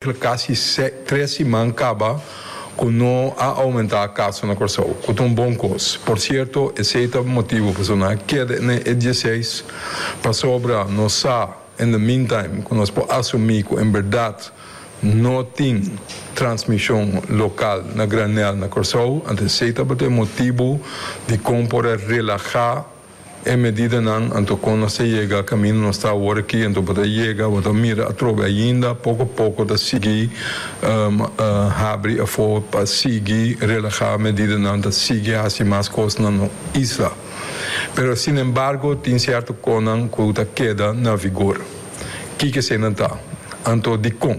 Kasi tres siman kaba ku no a oumentá kaso na Kòrsou, ku ta un bon kos. Por sierto, esei ta motibu pasobra nan a keda na e dieseis, pasobra nos sa in the meantime ku nos por asumí ku en bèrdat no tin transmishon lokal na granèl na Kòrsou, anto esei tabata e motibu dikon por a relahá. E medidanan anto kon nos ta yega kaminda nos ta awor aki anto bo ta yega bo ta mira atrobe ainda poko poko ta sigui habri afo pa sigui relaha medidanan ta sigui hasi mas kos na no isla pero sinembargo tin sierto konan ku ta keda na vigor kiko eseinan ta anto dikon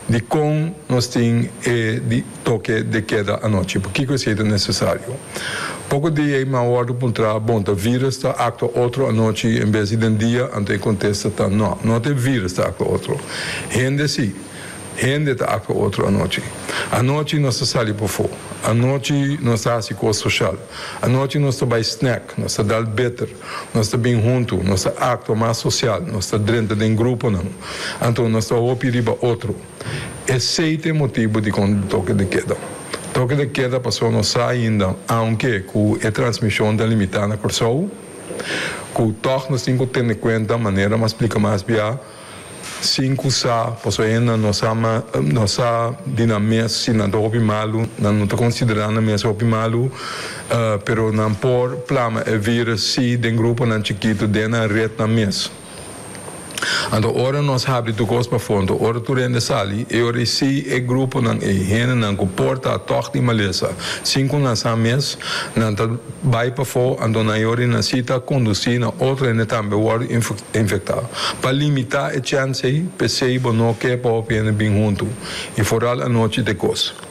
dikon nos tin e di toke de keda anochi. Pakiko esei ta nesesario? Poko dia ei mi a wòrdu puntrá, Bon, ta vírus ta aktua otro anochi en bes di den dia? Anto e kontesta ta, No, no ta e vírus ta aktua otro. Hende sí. Hende ta aktua otro anochi. Anochi nos ta sali pafó. Anochi nos ta hasi kos soshal. Anochi nos ta bai snack, nos ta dal bitter, nos ta bin huntu, nos ta aktua mas sosial, nos ta drenta den gruponan. Anto nos ta hopi riba otro. Esei ta e motibu dikon toke de keda. Toke de keda pasobra nos sa ainda, aunke ku e transmishon ta limitá na Kòrsou, ku tòg nos tin ku tene kuenta, manera mi a splika mas bia, sin ku sa, pasobra hende no sa no sa di nan mes si nan ta hopi malu, nan no ta konsiderá nan mes hopi malu, pero nan por plama e vírus si den gruponan chikitu den nan retnan mes. Anto ora nos habri tur kos pafó, anto ora tur hende sali, e ora ei si e gruponan ei, hendenan ku por ta tòg di malesa, sin ku nan sa mes, nan ta bai pafó, anto nan e ora ei nan si ta kondusí na otro hende tambe wòrdu infektá. Pa limitá e chèns ei, p'esei bo no ke pa hopi hende bin huntu, i foral anochi ta e kos.